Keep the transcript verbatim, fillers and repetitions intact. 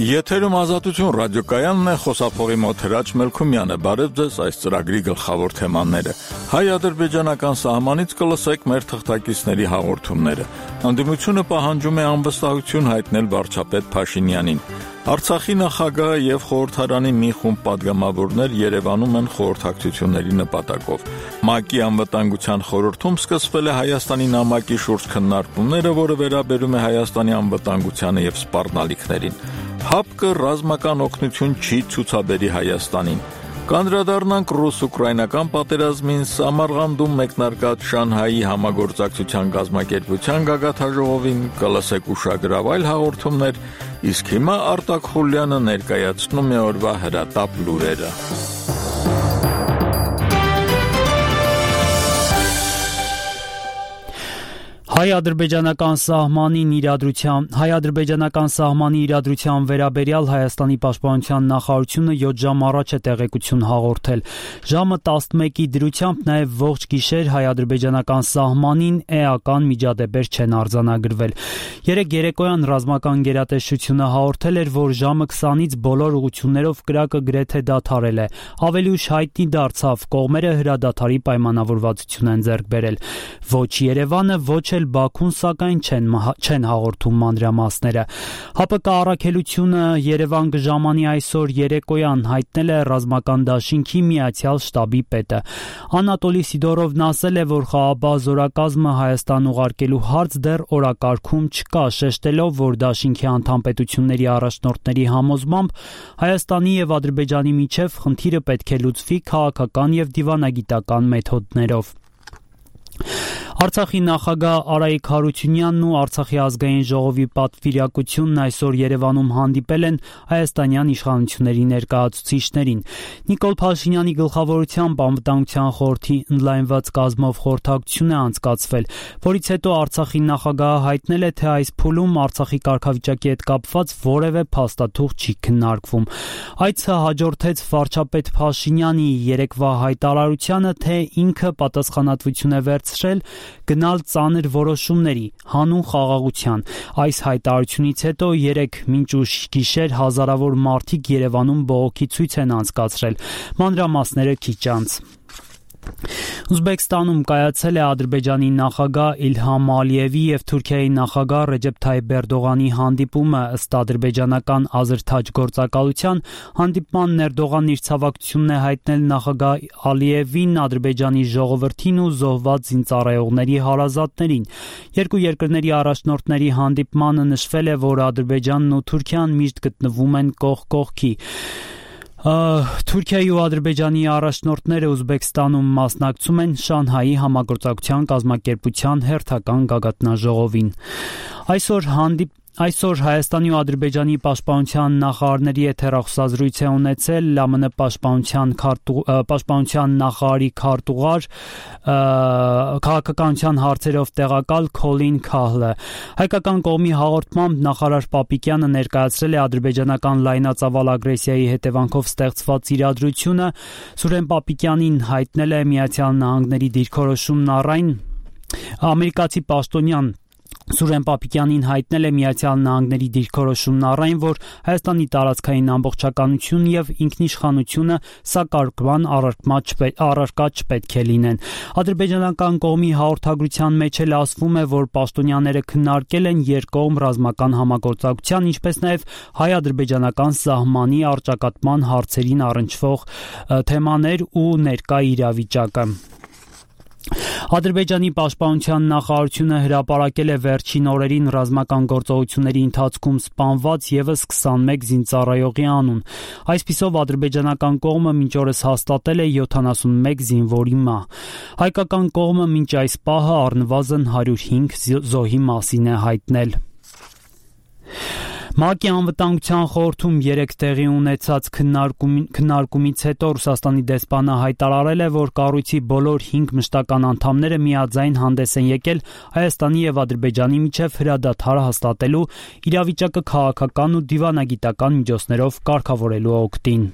Եթերում Ազատություն ռադիոկայանն է, խոսափողի մոտ Հրաչ Մելքումյանը։ Բարև ձեզ, այս ծրագրի գլխավոր թեմաները։ Հայ-ադրբեջանական սահմանից կլսեք մեր թղթակիցների հաղորդումները։ Ընդդիմությունը պահանջում է անվստահություն հայտնել վարչապետ Փաշինյանին։ Արցախի նախագահը եւ խորհրդարանի մի խումբ պատգամավորներ Երևանում են խորհրդակցությունների նպատակով։ ՄԱԿ-ի անվտանգության խորհրդում սկսվել է Հայաստանի նամակի շուրջ քննարկումները, որը վերաբերում է Հայաստանի անվտանգությանը եւ սպառնալիքներին։ ՀԱՊԿ-ը ռազմական օգնություն չի ցուցաբերի Հայաստանին։ Կանդրադառնանք ռուս-ուկրաինական պատերազմին, Սամարղանդում մեկնարկած Շանհայի համագործակցության կազմակերպության գագաթաժողովին, կլսեք ուշագրավ այլ հաղորդումներ, իսկ հիմա Արտակ Խուլյանը ներկայացնում է օրվա հրատապ լուրերը։ Հայ-ադրբեջանական սահմանին իրադրության Հայ-ադրբեջանական սահմանի իրադրության վերաբերյալ Հայաստանի պաշտպանության նախարարությունը յոթ ժամ առաջ է տեղեկություն հաղորդել։ Ժամը տասնմեկի դրությամբ նաև ողջ գիշեր հայ-ադրբեջանական սահմանին էական միջադեպեր չեն արձանագրվել։ Երեկ երեկոյան ռազմական գերատեսչությունը հաղորդել էր, որ ժամը քսանից բոլոր ուղղություններով կրակը գրեթե դադարել է։ Ավելի ուշ հայտնի դարձավ, կողմերը հրադադարի պայմանավորվածություն են ձեռք բերել։ Ոչ Երևանը, ոչ էլ Բաքուն սակայն չեն, չեն հաղորդում մանրամասները։ ՀԱՊԿ առաքելությունը Երևան կժամանի այսօր երեկոյան, հայտնել է ռազմական դաշինքի միացյալ շտաբի պետը։ Անատոլի Սիդորովն ասել է, որ խաղաղապահ զորակազմը Հայաստան ուղարկելու հարց դեռ օրակարգում չկա, շեշտելով, որ դաշինքի անդամ պետությունների առաջնորդների համոզմամբ Հայաստանի եւ Ադրբեջանի միջև խնդիրը պետք է լուծվի քաղաքական եւ դիվանագիտական մեթոդներով։ Արցախի նախագահ Արայիկ Հարությունյանն ու Արցախի ազգային ժողովի պատվիրակությունն այսօր Երևանում հանդիպել են հայաստանյան իշխանությունների ներկայացուցիչներին։ Նիկոլ Փաշինյանի գլխավորությամբ անվտանգության խորհրդի ընդլայնված կազմով խորհրդակցություն է անցկացվել, որից հետո Արցախի նախագահը հայտնել է, թե այս փուլում Արցախի կարգավիճակի հետ կապված որևէ փաստաթուղթ չի քննարկվում։ Այցը հաջորդեց վարչապետ Փաշինյանի երեկվա հայտարարությանը, թե ինքը պատասխանատվություն է վերցրել գնալ ծանր որոշումների, հանուն խաղաղության։ Այս հայտարարությունից հետո երեկ մինչ ուշ գիշեր հազարավոր մարդիկ Երևանում բողոքի ցույց են անցկացրել։ Մանրամասները քիչ անց։ Ուզբեկստանում կայացել է Ադրբեջանի նախագահ Իլհամ Ալիևի եւ Թուրքիայի նախագահ Ռեջեփ Թայիփ Էրդողանի հանդիպումը, ըստ ադրբեջանական Ազրթաջ գործակալության, հանդիպման ներդողան իր ցավակցությունն է հայտնել նախագահ Ալիևին, Ադրբեջանի ժողովրդին ու զոհված զինծառայողների հարազատներին։ Երկու երկրների առաջնորդների հանդիպմանը նշվել է, որ Ադրբեջանն ու Թուրքիան միշտ գտնվում են կողք կողքի։ Թուրքիայի ու Ադրբեջանի առաջնորդները Ուզբեկստանում մասնակցում են Շանհայի համագործակցության կազմակերպության հերթական գագաթնաժողովին։ Այսօր հանդիպ Այսօր Հայաստանի ու Ադրբեջանի պաշտպանության նախարարների հետ հեռախոսազրույց է ունեցել ԼՄՆ պաշտպանության պաշտպանության նախարարի քարտուղար քաղաքականության հարցերով տեղակալ Քոլին Քահլը։ Հայկական կողմի հաղորդմամբ նախարար Պապիկյանը ներկայացրել է ադրբեջանական լայնածավալ ագրեսիայի հետևանքով ստեղծված իրադրությունը, Սուրեն Պապիկյանին հայտնել է Միացյալ Նահանգների դիրքորոշումն առայն ամերիկացի պաշտոնյան Սուրեն Պապիկյանին հայտնել է Միացյալ Նահանգների դիրքորոշումն առայն, որ Հայաստանի տարածքային ամբողջականությունն եւ ինքնիշխանությունը սակարկման առարկա չպետք է լինեն։ Ադրբեջանական կողմի հաղորդագրության մեջ էլ ասվում է, որ պաշտոնյաները քննարկել են երկկողմ ռազմական համագործակցության, ինչպես նաեւ հայ-ադրբեջանական սահմանի առճակատման հարցերին առնչվող թեմաներ ու ներկա իրավիճակը։ Ադրբեջանի պաշտպանության նախարարությունը հրապարակել է վերջին օրերին ռազմական գործողությունների ընթացքում սպանված ևս քսանմեկ զինծառայողի անուն։ Այսպիսով ադրբեջանական կողմը մինչ օրս հաստատել է յոթանասունմեկ զինվորի մահ։ Հայկական կողմը մինչ այս պահը առնվազն հարյուր հինգ զոհի մասին է հայտնել։ ՄԱԿ-ի անվտանգության խորհրդում երեկ տեղի ունեցած քննարկումից հետո Ռուսաստանի դեսպանը հայտարարել է, որ կառույցի բոլոր հինգ մշտական անդամները միաձայն հանդես են եկել Հայաստանի եւ Ադրբեջանի միջև հրադադար հաստատելու, իրավիճակը քաղաքական ու դիվանագիտական միջոցներով կարգավորելու օգտին։